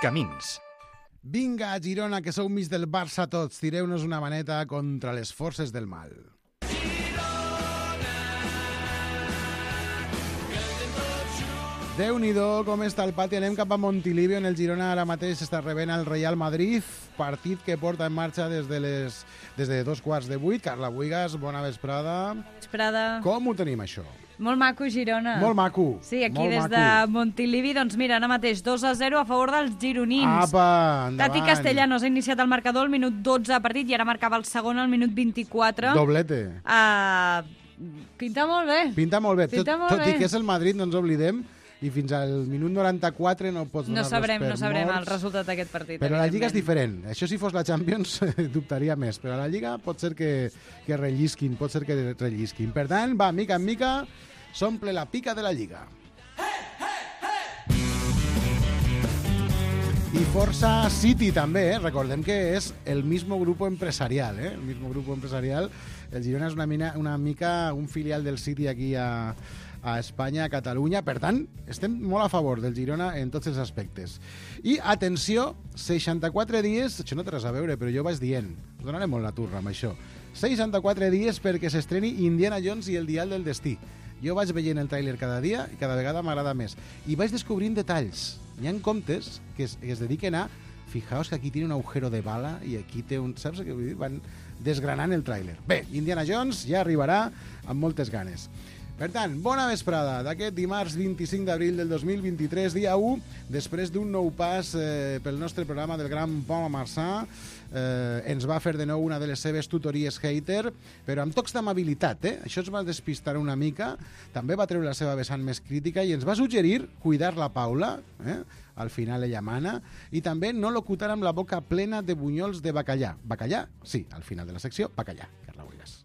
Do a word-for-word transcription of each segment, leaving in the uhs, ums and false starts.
Camins. Vinga, Girona, que sou mig del Barça tots, tireu-nos una maneta contra les forces del mal. Déu-n'hi-do, com està el pati. Anem cap a Montilivi, on el Girona ara mateix està rebent el Real Madrid, partit que porta en marxa des de les des de dos quarts de vuit. Carla Buigas, bona vesprada. Vesprada. Com ho tenim, això? Molt maco, Girona. Molt maco. Sí, aquí molt des maco. de Montilivi, doncs mira, ara mateix dos a zero a favor dels gironins. Apa, endavant. Tati Castellanos ha iniciat el marcador al minut dotze de partit i ara marcava el segon al minut vint-i-quatre. Doblete. Uh, pinta molt bé. Pinta molt bé. Pinta tot molt tot bé. i que és el Madrid, no ens oblidem, i fins al minut noranta-quatre no pots No donar-los sabrem, per no sabrem morts. el resultat d'aquest partit. Però la Lliga és evidentment. diferent. Això si fos la Champions dubtaria més, però a la Lliga pot ser que, que rellisquin, pot ser que rellisquin. Per tant, va, mica en mica, s'omple la pica de la Lliga. I Força City també, eh? Recordem que és el mismo grupo empresarial, eh? El mismo grupo empresarial. El Girona és una, mina, una mica un filial del City aquí a, a Espanya, a Catalunya. Per tant, estem molt a favor del Girona en tots els aspectes. I, atenció, seixanta-quatre dies, això no té res a veure, però jo vaig dient, donaré molt la turra amb això, seixanta-quatre dies perquè s'estreni Indiana Jones i el dial del destí. Jo vaig veient el tràiler cada dia i cada vegada m'agrada més. I vaig descobrint detalls. Hi ha comptes que es, que es dediquen a fijaos que aquí tiene un agujero de bala i aquí té un... Saps què vull dir? Van desgranant el tràiler. Bé, Indiana Jones ja arribarà amb moltes ganes. Per tant, bona vesprada d'aquest dimarts vint-i-cinc d'abril del dos mil vint-i-tres, dia u, després d'un nou pas eh, pel nostre programa del gran Pau Marçà. Eh, ens va fer de nou una de les seves tutories hater, però amb tocs d'amabilitat, eh? Això ens va despistar una mica, també va treure la seva vessant més crítica i ens va suggerir cuidar la Paula, eh? Al final ella mana, i també no locutar amb la boca plena de bunyols de bacallà. Bacallà? Sí, al final de la secció, bacallà. Carla Buigas.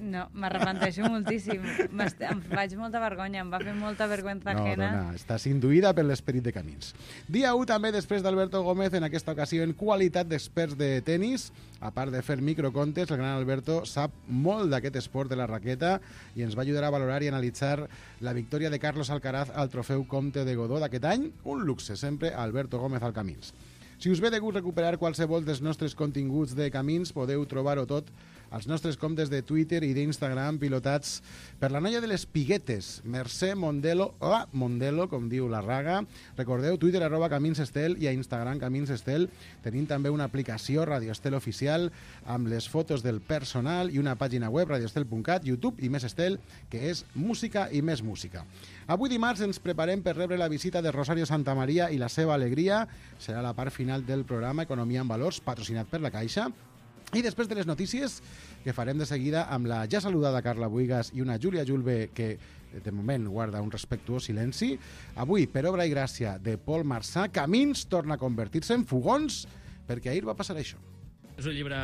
No, m'arrepenteixo moltíssim. M'est- Em faig molta vergonya, em va fer molta vergüenza No, ajena. dona, estàs induïda per l'esperit de Camins. Dia u també després d'Alberto Gómez, en aquesta ocasió en qualitat d'experts de tenis. A part de fer microcontes, el gran Alberto sap molt d'aquest esport de la raqueta i ens va ajudar a valorar i analitzar la victòria de Carlos Alcaraz al trofeu Comte de Godó d'aquest any. Un luxe, sempre, Alberto Gómez al Camins. Si us ve de gust recuperar qualsevol dels nostres continguts de Camins, podeu trobar-ho tot als nostres comptes de Twitter i d'Instagram pilotats per la noia de les piguetes, Mercè Mondelo, la Mondelo, com diu la Raga. Recordeu, Twitter arroba Camins Estel i a Instagram Camins Estel. Tenim també una aplicació Radio Estel oficial amb les fotos del personal i una pàgina web radioestel punt cat, YouTube i Més Estel, que és música i més música. Avui dimarts ens preparem per rebre la visita de Rosario Santamaría i la seva alegria. Serà la part final del programa Economia en Valors, patrocinat per la Caixa. I després de les notícies, que farem de seguida amb la ja saludada Carla Buigas i una Júlia Julve que, de moment, guarda un respectuós silenci. Avui, per obra i gràcia de Pol Marçà, Camins torna a convertir-se en fogons, perquè ahir va passar això. És un llibre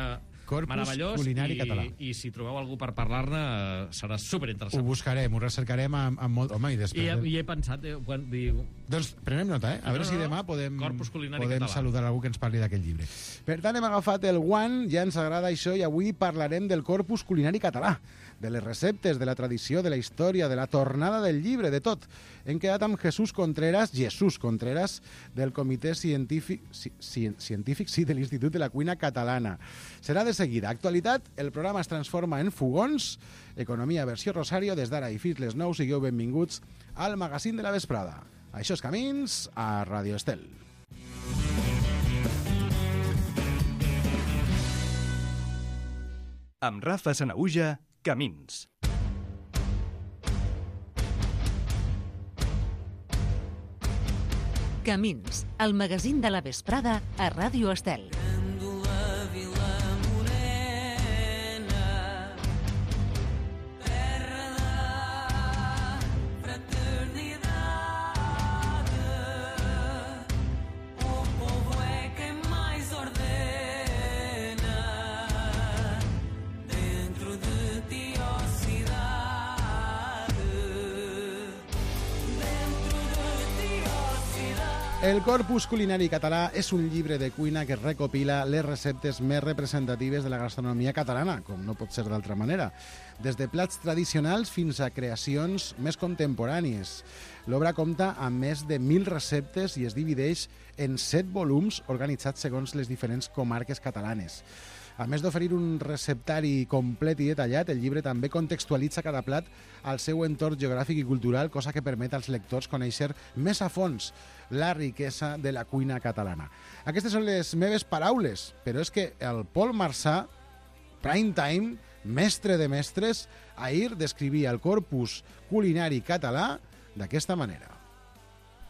Corpus meravellós culinari i, català. i si trobeu algú per parlar-ne eh, serà Ho superinteressant. buscarem, ho recercarem amb, amb molt... Home, i I, després... he- I he pensat, eh, quan diu... Doncs prenem nota, eh? A veure No, si no, demà podem, Corpus culinari podem català. saludar algú que ens parli d'aquest llibre. Per tant, hem agafat el guant, ja ens agrada això, i avui parlarem del corpus culinari català, de les receptes, de la tradició, de la història, de la tornada del llibre, de tot. Hem quedat amb Jesús Contreras, Jesús Contreras, del Comitè Científic, ci, ci, científic sí, de l'Institut de la Cuina Catalana. Serà de seguida. Actualitat, el programa es transforma en fogons, economia versió Rosario, des d'ara i fins les nou, sigueu benvinguts al magazín de la vesprada. Això és Camins a Radio Estel. Amb Rafa Sanaüja, Camins. Camins, el magazín de la vesprada a Ràdio Estel. El Corpus Culinari Català és un llibre de cuina que recopila les receptes més representatives de la gastronomia catalana, com no pot ser d'altra manera, des de plats tradicionals fins a creacions més contemporànies. L'obra compta amb més de mil receptes i es divideix en set volums organitzats segons les diferents comarques catalanes. A més d'oferir un receptari complet i detallat, el llibre també contextualitza cada plat al seu entorn geogràfic i cultural, cosa que permet als lectors conèixer més a fons la riquesa de la cuina catalana. Aquestes són les meves paraules, però és que el Pol Marsà, prime time, mestre de mestres, ahir descrivia el corpus culinari català d'aquesta manera.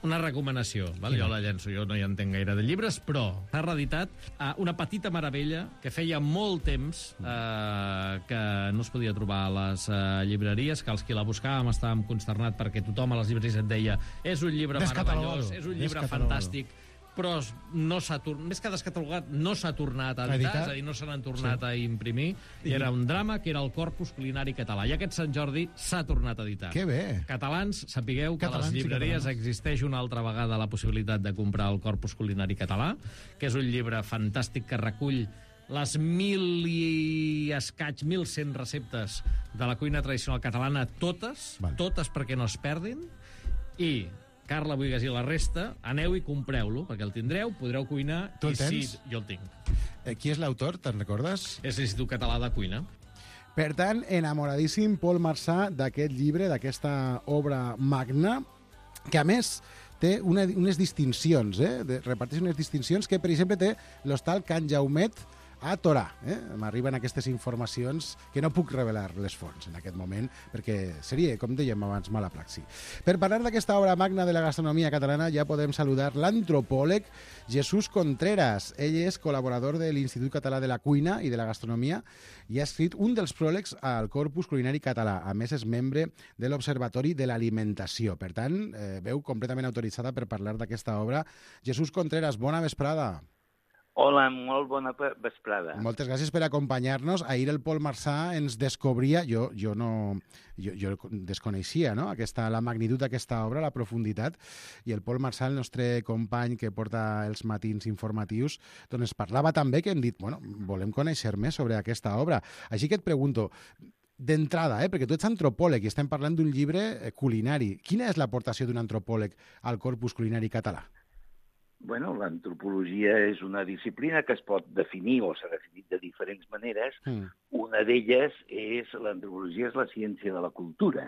Una recomanació, val? Jo la llenço, jo no hi entenc gaire de llibres, però s'ha reeditat uh, una petita meravella que feia molt temps uh, que no es podia trobar a les uh, llibreries, que els qui la buscàvem estàvem consternats perquè tothom a les llibreries et deia és un llibre meravellós, és un llibre fantàstic, però no s'ha tornat, més que descatalogat, no s'ha tornat a editar, és a dir, no se n'han tornat sí. a imprimir, i era un drama que era el Corpus Culinari Català, i aquest Sant Jordi s'ha tornat a editar. Que bé! Catalans, sapigueu que Catalans a les llibreries existeix una altra vegada la possibilitat de comprar el Corpus Culinari Català, que és un llibre fantàstic que recull les mil i escaig, mil cent receptes de la cuina tradicional catalana, totes, vale. totes perquè no es perdin, i Carla Buigas i la resta, aneu i compreu-lo, perquè el tindreu, podreu cuinar... Tu el i tens? Sí, jo el tinc. Eh, qui és l'autor, te'n recordes? És l'Institut Català de Cuina. Per tant, enamoradíssim Pol Marsà d'aquest llibre, d'aquesta obra magna, que a més té una, unes distincions, eh? De, reparteix unes distincions que, per exemple, té l'hostal Can Jaumet a Torà. Eh? M'arriben aquestes informacions que no puc revelar les fonts en aquest moment, perquè seria, com dèiem abans, mala praxi. Per parlar d'aquesta obra magna de la gastronomia catalana ja podem saludar l'antropòleg Jesús Contreras. Ell és col·laborador de l'Institut Català de la Cuina i de la Gastronomia i ha escrit un dels pròlegs al Corpus Culinari Català. A més, és membre de l'Observatori de l'Alimentació. Per tant, eh, veu completament autoritzada per parlar d'aquesta obra. Jesús Contreras, bona vesprada. Hola, molt bona vesprada. Moltes gràcies per acompanyar-nos. Ahir el Pol Marsà ens descobria, jo, jo no jo, jo desconeixia, no? Aquesta, la magnitud d'aquesta obra, la profunditat, i el Pol Marsà, el nostre company que porta els matins informatius, doncs parlava també que hem dit, bueno, volem conèixer més sobre aquesta obra. Així que et pregunto, d'entrada, eh, perquè tu ets antropòleg i estem parlant d'un llibre culinari, quina és l'aportació d'un antropòleg al corpus culinari català? Bueno, l'antropologia és una disciplina que es pot definir o s'ha definit de diferents maneres. Mm. Una d'elles és, l'antropologia és la ciència de la cultura.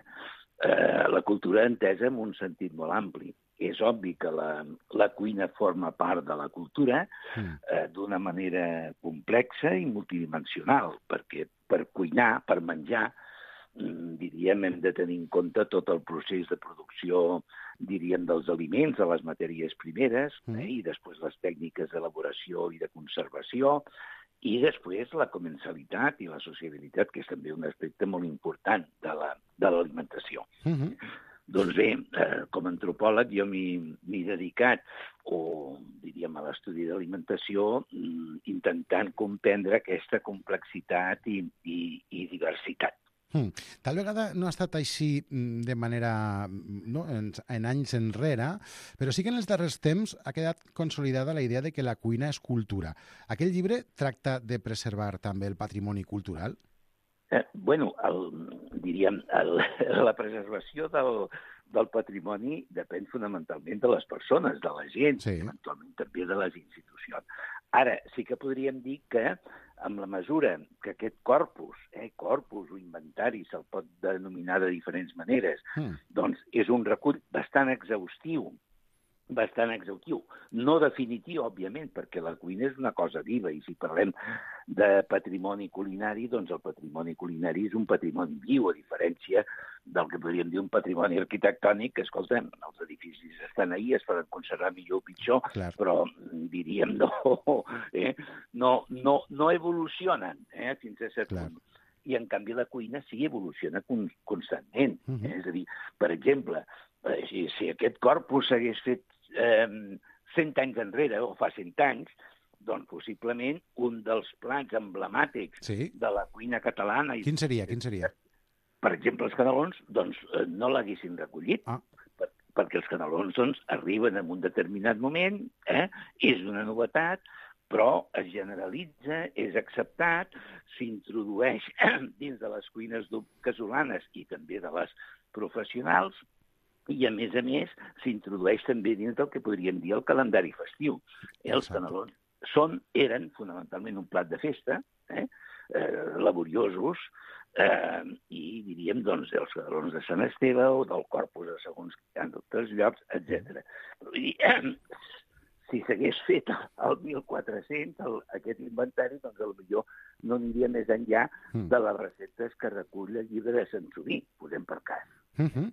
Eh, la cultura entesa en un sentit molt ampli. És obvi que la, la cuina forma part de la cultura mm. eh, d'una manera complexa i multidimensional, perquè per cuinar, per menjar, diríem, hem de tenir en compte tot el procés de producció, diríem, dels aliments, de les matèries primeres, mm. eh, i després les tècniques d'elaboració i de conservació, i després la comensalitat i la sociabilitat, que és també un aspecte molt important de la, de l'alimentació. Mm-hmm. Doncs bé, eh, com a antropòleg jo m'he dedicat, o diríem a l'estudi d'alimentació, intentant comprendre aquesta complexitat i, i, i diversitat. Hmm. Tal vegada no ha estat així de manera, no, en, en anys enrere, però sí que en els darrers temps ha quedat consolidada la idea de que la cuina és cultura. Aquell llibre tracta de preservar també el patrimoni cultural? Eh, bueno, el, diríem, el, la preservació del, del patrimoni depèn fonamentalment de les persones, de la gent, sí. Eventualment també de les institucions. Ara, sí que podríem dir que amb la mesura que aquest corpus, eh, corpus o inventari, se'l pot denominar de diferents maneres, mm. doncs és un recull bastant exhaustiu, bastant exhaustiu. No definitiu, òbviament, perquè la cuina és una cosa viva, i si parlem de patrimoni culinari, doncs el patrimoni culinari és un patrimoni viu, a diferència del que podríem dir un patrimoni arquitectònic, que, escolta, els edificis estan ahí, es poden conservar millor o pitjor, clar. Però diríem no, eh? no, no, no evolucionen eh? fins a cert punt. I, en canvi, la cuina sí evoluciona constantment. Uh-huh. eh? És a dir, per exemple, si, si aquest corpus s'hagués fet eh, cent anys enrere, o fa cent anys, doncs possiblement un dels plats emblemàtics sí. de la cuina catalana... Quin seria? Quin seria? Per exemple, els canelons, doncs no l'haguessin recollit. Ah. perquè els canelons doncs, arriben en un determinat moment, eh? És una novetat, però es generalitza, és acceptat, s'introdueix dins de les cuines casolanes i també de les professionals, i, a més a més, s'introdueix també dins del que podríem dir el calendari festiu. Eh, els canelons són, eren fonamentalment un plat de festa, eh, eh, laboriosos, eh, i diríem doncs, els canelons de Sant Esteve o del Corpus de segons en altres llocs, etcètera. I, eh, si s'hagués fet el mil quatre-cents, el, aquest inventari, doncs potser no aniria més enllà de les receptes que recull el llibre de Sant Sobí, posem per cas. Uh -huh.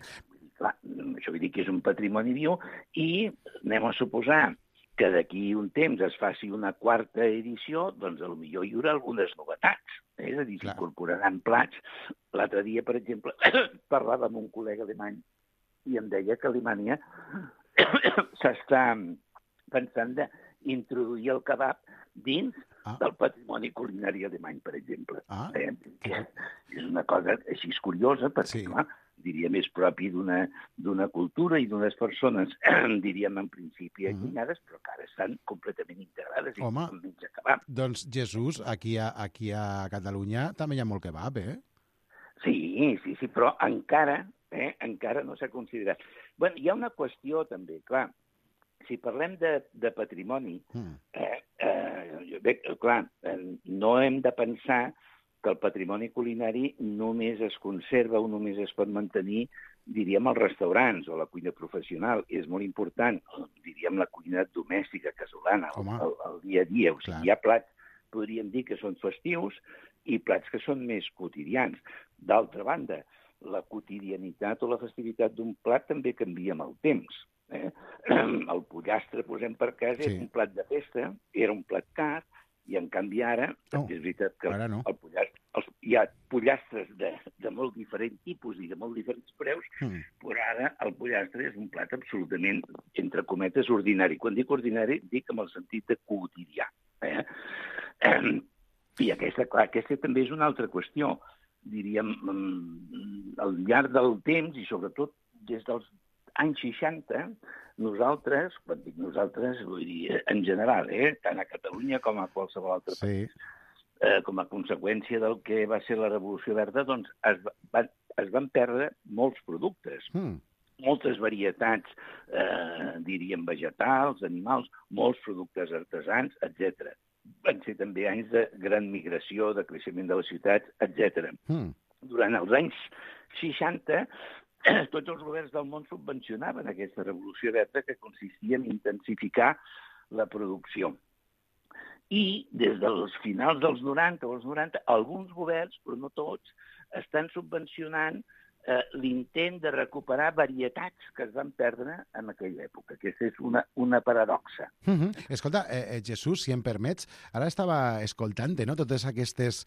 Clar, això vull dir que és un patrimoni viu i anem a suposar que d'aquí un temps es faci una quarta edició, doncs potser hi haurà algunes novetats. Eh? És a dir, s'incorporaran plats. L'altre dia, per exemple, parlava amb un col·lega alemany i em deia que a Alemanya s'està pensant d'introduir el kebab dins ah. del patrimoni culinari alemany, per exemple. Ah. Eh? Que és una cosa així curiosa, perquè, sí. clar, diríem, és propi d'una cultura i d'unes persones, diríem, en principi allunyades, però que ara estan completament integrades. Home, i doncs, Jesús, aquí a, aquí a Catalunya també hi ha molt kebab, eh? Sí, sí, sí, però encara, eh, encara no s'ha considerat. Bé, hi ha una qüestió també, clar, si parlem de, de patrimoni, mm. eh, eh, bé, clar, eh, no hem de pensar que el patrimoni culinari només es conserva o només es pot mantenir, diríem, als restaurants o a la cuina professional. És molt important, diríem, la cuina domèstica, casolana, el, el dia a dia. O sigui, hi ha plats, podríem dir, que són festius i plats que són més quotidians. D'altra banda, la quotidianitat o la festivitat d'un plat també canvia amb el temps. Eh? El pollastre, posem per cas, sí. és un plat de festa, era un plat car, i en canvi ara, oh, és veritat que no. el pollastre, els, hi ha pollastres de, de molt diferents tipus i de molt diferents preus, mm. però ara el pollastre és un plat absolutament, entre cometes, ordinari. Quan dic ordinari, dic amb el sentit de quotidià. Eh? Eh, I aquesta, clar, aquesta també és una altra qüestió. Diríem, al llarg del temps, i sobretot des dels anys seixanta, nosaltres, quan dic nosaltres, vull dir, en general, eh, tant a Catalunya com a qualsevol altre sí. país, eh, com a conseqüència del que va ser la Revolució Verda, doncs es, va, es van perdre molts productes, mm. moltes varietats, eh, diríem, vegetals, animals, molts productes artesans, etcètera. Van ser també anys de gran migració, de creixement de les ciutats, etcètera. Mm. Durant els anys seixanta, tots els governs del món subvencionaven aquesta revolució verda que consistia en intensificar la producció. I des dels finals dels noranta o els noranta, alguns governs, però no tots, estan subvencionant eh, l'intent de recuperar varietats que es van perdre en aquella època. Aquesta és una, una paradoxa. Mm -hmm. Escolta, eh, Jesús, si em permets, ara estava escoltant, no?, totes aquestes...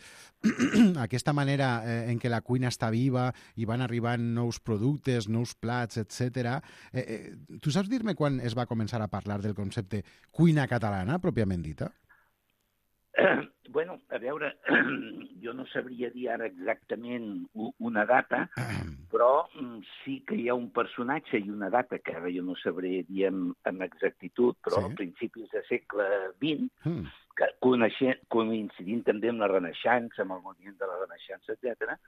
aquesta manera eh, en què la cuina està viva i van arribant nous productes, nous plats, etcètera. Eh, eh, tu saps dir-me quan es va començar a parlar del concepte cuina catalana, pròpiament dita? Eh, bueno, a veure, jo no sabria dir ara exactament una data, però sí que hi ha un personatge i una data que ara jo no sabré dir amb, amb exactitud, però sí. a principis del segle vint, mm. que coincidint també amb la Renaixença, amb el moviment de la Renaixença, etcètera,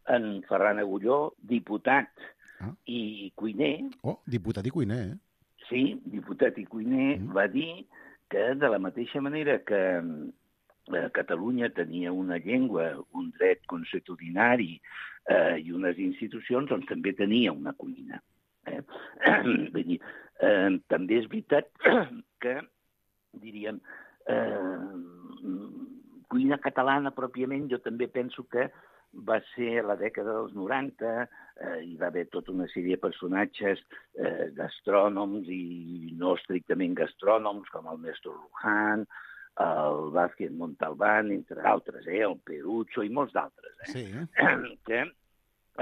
en Ferran Agulló, diputat ah. i cuiner... Oh, diputat i cuiner, eh? Sí, diputat i cuiner, mm. va dir que de la mateixa manera que Catalunya tenia una llengua, un dret consuetudinari eh, i unes institucions, doncs també tenia una cuina. Eh? Vull dir, eh, també és veritat que, diríem, eh, cuina catalana pròpiament, jo també penso que va ser a la dècada dels noranta, eh, hi va haver tota una sèrie de personatges eh, gastrònoms i no estrictament gastrònoms, com el Néstor Luján, el Vázquez Montalbán, entre altres, eh, el Perucho i molts d'altres, eh, sí. que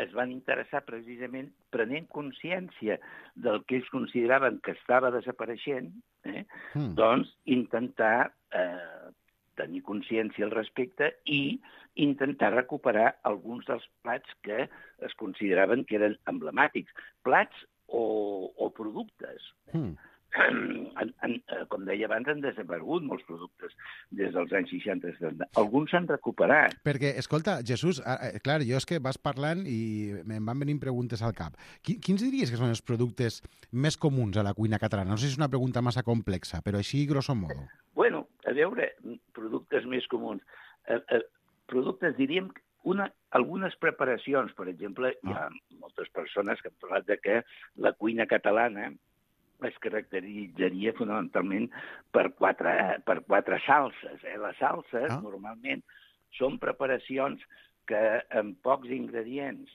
es van interessar precisament prenent consciència del que ells consideraven que estava desapareixent, eh, mm. doncs intentar eh, tenir consciència al respecte i intentar recuperar alguns dels plats que es consideraven que eren emblemàtics. Plats o, o productes. Mm. En, en, com deia abans, han desaparegut molts productes des dels anys seixanta setanta. Alguns s'han recuperat. Perquè, escolta, Jesús, eh, clar, jo és que vas parlant i em van venint preguntes al cap. Quins diries que són els productes més comuns a la cuina catalana? No sé si és una pregunta massa complexa, però així, grosso modo. Bueno, a veure, productes més comuns. Eh, eh, productes, diríem, una, algunes preparacions, per exemple, hi ha moltes persones que han parlat de que la cuina catalana es caracteritzaria fonamentalment per quatre, per quatre salses. Eh? Les salses, ah. normalment, són preparacions que amb pocs ingredients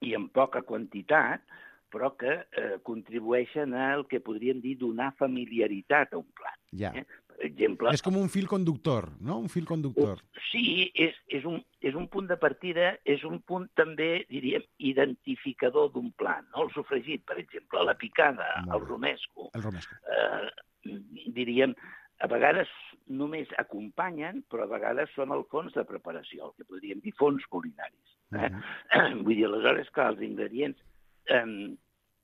i amb poca quantitat, però que eh, contribueixen al que podríem dir donar familiaritat a un plat. Ja. Eh? Per exemple... És com un fil conductor, no? Un fil conductor. Sí, és, és, un, és un punt de partida, és un punt també, diríem, identificador d'un plat. No? El sofregit, per exemple, la picada, el romesco. El romesco. Eh, diríem, a vegades només acompanyen, però a vegades són el fons de preparació, el que podríem dir fons culinaris. Eh? Uh-huh. Vull dir, aleshores, que els ingredients, eh,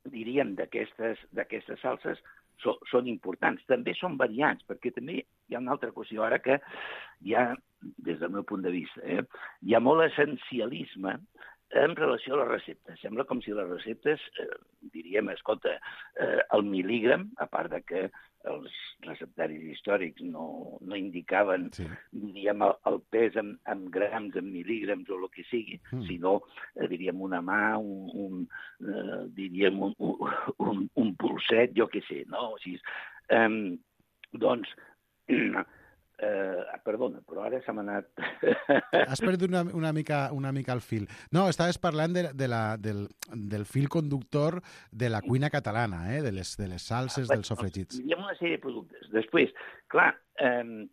diríem, d'aquestes d'aquestes salses so, són importants. També són variants, perquè també hi ha una altra qüestió ara que hi ha, des del meu punt de vista, eh, hi ha molt essencialisme en relació a les receptes. Sembla com si les receptes, eh, diríem, escolta, eh, el mil·lígram, a part de que els receptaris històrics no, no indicaven, sí. diríem, el, el pes en, en grams, en mil·lígrams o el que sigui, mm. sinó, eh, diríem, una mà, un, un, eh, diríem, un, un, un pulset, jo què sé, no? O sigui, eh, doncs, Eh, perdona, però ara se m'ha anat... Has perdut una, una, mica, una mica el fil. No, estaves parlant de, de la, del, del fil conductor de la cuina catalana, eh? de, les, de les salses, ah, dels sofregits. Hi ha una sèrie de productes. Després, clar, eh,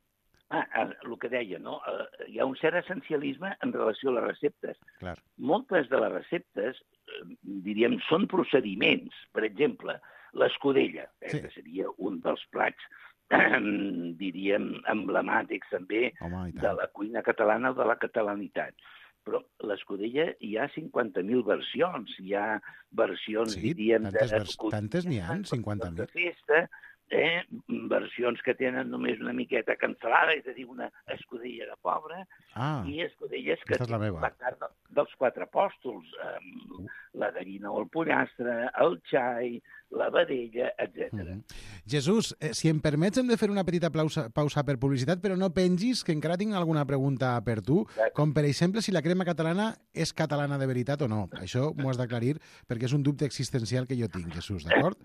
ah, el que deia, no? Eh, hi ha un cert essencialisme en relació a les receptes. Clar. Moltes de les receptes, eh, diríem, són procediments. Per exemple, l'escudella, eh, sí. que seria un dels plats diríem, emblemàtics també Home, de la cuina catalana o de la catalanitat. Però l'escudella hi ha cinquanta mil versions. Hi ha versions, sí, diríem... Tantes, de vers... tantes n'hi ha, cinquanta mil. De festa, eh? versions que tenen només una miqueta cancel·lada, és a dir, una escudella de pobre, ah, i escudelles que tenen la, la carn dels quatre apòstols, eh, uh. la gallina o el pollastre, el xai, la vedella, etcètera. Mm -hmm. Jesús, eh, si em permets, hem de fer una petita pausa, pausa per publicitat, però no pengis, que encara tinc alguna pregunta per tu, Exacte. com per exemple si la crema catalana és catalana de veritat o no. Això m'ho has d'aclarir perquè és un dubte existencial que jo tinc, Jesús, d'acord?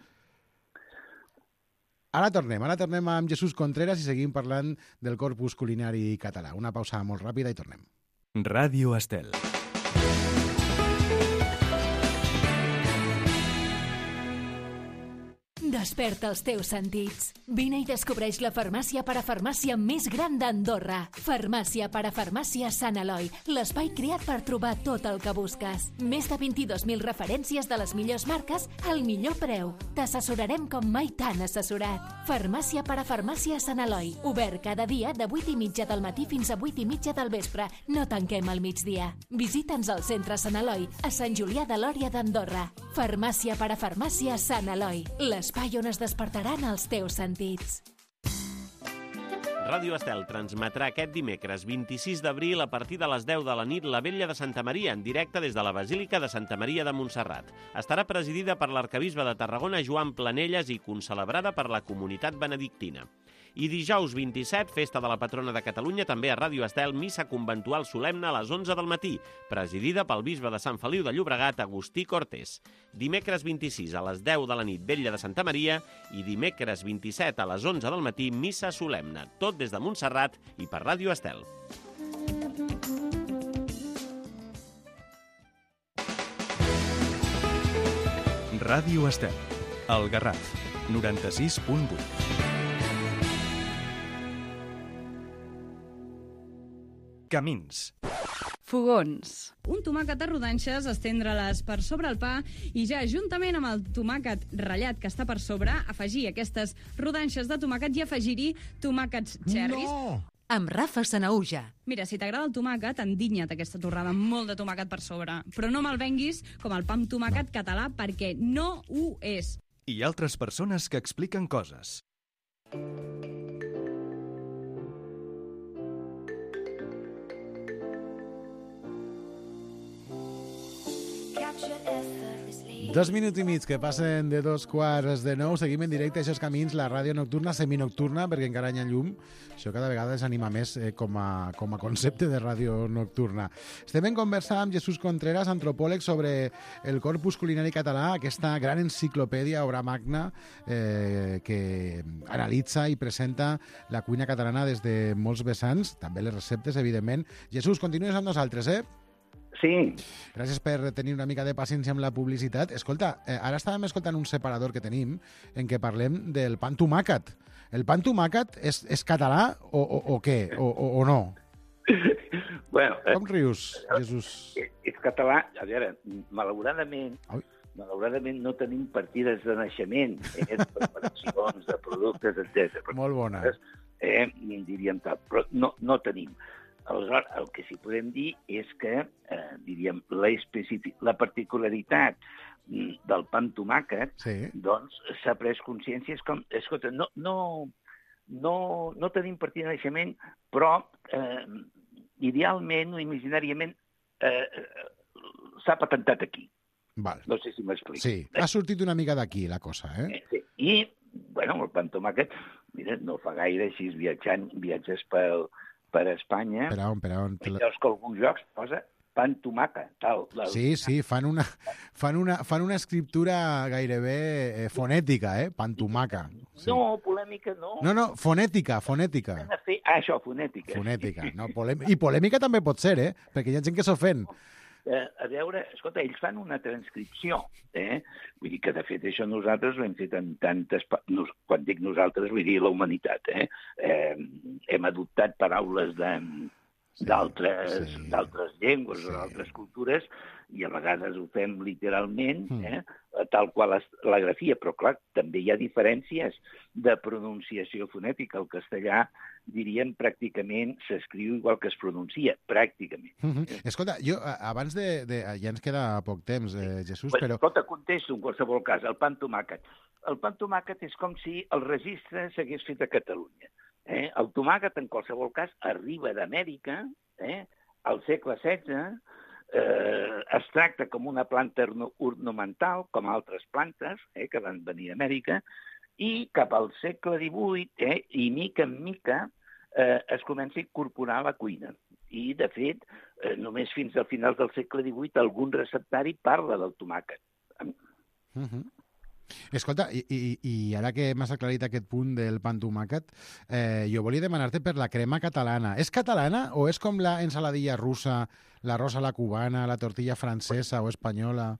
Ara tornem, ara tornem amb Jesús Contreras i seguim parlant del corpus culinari català. Una pausa molt ràpida i tornem. Ràdio Estel. Desperta els teus sentits. Vine i descobreix la farmàcia parafarmàcia més gran d'Andorra. Farmàcia parafarmàcia Sant Eloi, l'espai creat per trobar tot el que busques. Més de vint-i-dos mil referències de les millors marques al millor preu. T'assessorarem com mai t'han assessorat. Farmàcia parafarmàcia Sant Eloi. Obert cada dia de vuit i mitja del matí fins a vuit i mitja del vespre. No tanquem al migdia. Visita'ns al centre Sant Eloi, a Sant Julià de Lòria d'Andorra. Farmàcia parafarmàcia Sant Eloi, l'espai on es despertaran els teus sentits. Ràdio Estel transmetrà aquest dimecres vint-i-sis d'abril a partir de les deu de la nit la Vetlla de Santa Maria en directe des de la Basílica de Santa Maria de Montserrat. Estarà presidida per l'arquebisbe de Tarragona Joan Planelles i concelebrada per la comunitat benedictina. I dijous vint-i-set, festa de la patrona de Catalunya, també a Ràdio Estel, missa conventual solemne a les onze del matí, presidida pel bisbe de Sant Feliu de Llobregat, Agustí Cortés. Dimecres vint-i-sis a les deu de la nit, Vetlla de Santa Maria, i dimecres vint-i-set a les onze del matí, missa solemne, tot des de Montserrat i per Ràdio Estel. Ràdio Estel, el Garraf, noranta-sis punt vuit. Camins. Fogons. Un tomàquet a rodanxes, estendre-les per sobre el pa i ja juntament amb el tomàquet ratllat que està per sobre, afegir aquestes rodanxes de tomàquet i afegir-hi tomàquets cherries. No! amb Rafa Sanaúja. Mira, si t'agrada el tomàquet, endinya't aquesta torrada amb molt de tomàquet per sobre. Però no me'l venguis com el pa amb tomàquet no. català, perquè no ho és. I altres persones que expliquen coses. Dos minuts i mig que passen de dos quarts de nou. Seguim en directe a Eixos Camins, la ràdio nocturna, seminocturna, perquè encara hi ha llum. Això cada vegada s'anima més eh, com, a, com a concepte de ràdio nocturna. Estem en conversa amb Jesús Contreras, antropòleg, sobre el corpus culinari català, aquesta gran enciclopèdia, obra magna, eh, que analitza i presenta la cuina catalana des de molts vessants, també les receptes, evidentment. Jesús, continues amb nosaltres, eh? Sí. Gràcies per tenir una mica de paciència amb la publicitat. Escolta, eh, ara estàvem escoltant un separador que tenim en què parlem del pa amb tomàquet. El pa amb tomàquet és, és català o, o, o què? O, o, o no? Bueno, Com rius, Jesús? És, és català. A veure, malauradament, Ai. malauradament no tenim partides de naixement, eh, de preparacions, de productes, etcètera. Molt bona. Eh, diríem tal, però no, no tenim. Aleshores, el que sí podem dir és que, eh, diríem, la, especific... la particularitat del pa amb tomàquet, sí. doncs s'ha pres consciència, és com, escolta, no, no, no, no tenim partida de naixement, però eh, idealment o imaginàriament eh, s'ha patentat aquí. Val. No sé si m'explico. Sí, ha sortit una mica d'aquí la cosa, eh? eh sí. I, bueno, el pa amb tomàquet, mira, no fa gaire, així viatjant, viatges pel... per Espanya, per on, per on? veus que alguns jocs posa pa amb tomàquet, tal. La... Sí, sí, fan una, fan una, fan una escriptura gairebé eh, fonètica, eh? Pa amb tomàquet. Sí. No, polèmica no. No, no, fonètica, fonètica. Fer... Ah, això, fonètica. Fonètica, no, polèmica. I polèmica també pot ser, eh? Perquè hi ha gent que s'ofèn. Eh, a veure, escolta, ells fan una transcripció, eh? Vull dir que, de fet, això nosaltres ho hem fet en tantes... Nos... Quan dic nosaltres, vull dir la humanitat, eh? eh hem adoptat paraules de... d'altres sí, sí. d'altres llengües sí. o d'altres cultures, i a vegades ho fem literalment, eh? tal qual la grafia, però clar, també hi ha diferències de pronunciació fonètica. El castellà, diríem, pràcticament s'escriu igual que es pronuncia, pràcticament. Mm -hmm. Escolta, jo, abans de, de... Ja ens queda poc temps, eh, Jesús, pues, però... Escolta, contesto en qualsevol cas, el pa amb tomàquet. El pa amb tomàquet és com si el registre s'hagués fet a Catalunya. Eh? El tomàquet, en qualsevol cas, arriba d'Amèrica, eh? al segle setze, eh, es tracta com una planta ornamental, com altres plantes eh, que van venir d'Amèrica, i cap al segle divuit, eh, i mica en mica, eh, es comença a incorporar a la cuina. I, de fet, eh, només fins al final del segle divuit algun receptari parla del tomàquet. Uh -huh. Escolta, i, i, i ara que m'has aclarit aquest punt del pa amb tomàquet, eh, jo volia demanar-te per la crema catalana. És catalana o és com la ensaladilla russa, l'arròs a la cubana, la tortilla francesa o espanyola?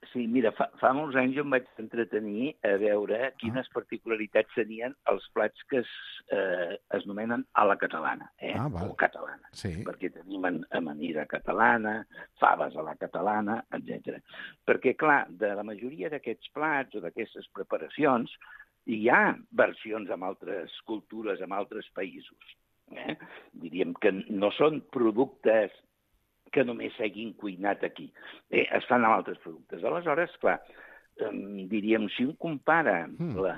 Sí, mira, fa, fa molts anys jo em vaig entretenir a veure quines ah. particularitats tenien els plats que es, eh, es nomenen a la catalana, eh? ah, val. o catalana, sí. perquè tenim amanida catalana, faves a la catalana, etcètera. Perquè, clar, de la majoria d'aquests plats o d'aquestes preparacions hi ha versions amb altres cultures, amb altres països. Eh? Diríem que no són productes que només s'hagin cuinat aquí. Eh, es fan amb altres productes. Aleshores, clar, eh, diríem, si un compara mm. la,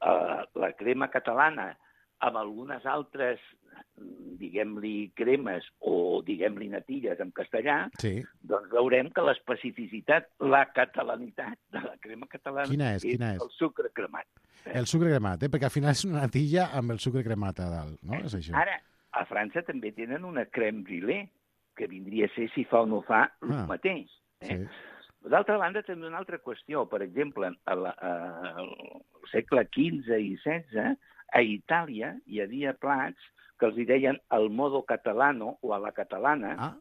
uh, la crema catalana amb algunes altres, diguem-li, cremes o, diguem-li, natilles en castellà, sí. doncs veurem que l'especificitat, la catalanitat de la crema catalana quina és, quina és? el sucre cremat. Eh? El sucre cremat, eh? Perquè al final és una natilla amb el sucre cremat a dalt, no? És això. Ara, a França també tenen una crème brûlée, que vindria a ser, si fa o no fa, el ah, mateix. Eh? Sí. D'altra banda, també una altra qüestió. Per exemple, al segle quinze i setze, a Itàlia hi havia plats que els hi deien el modo catalano o a la catalana, ah.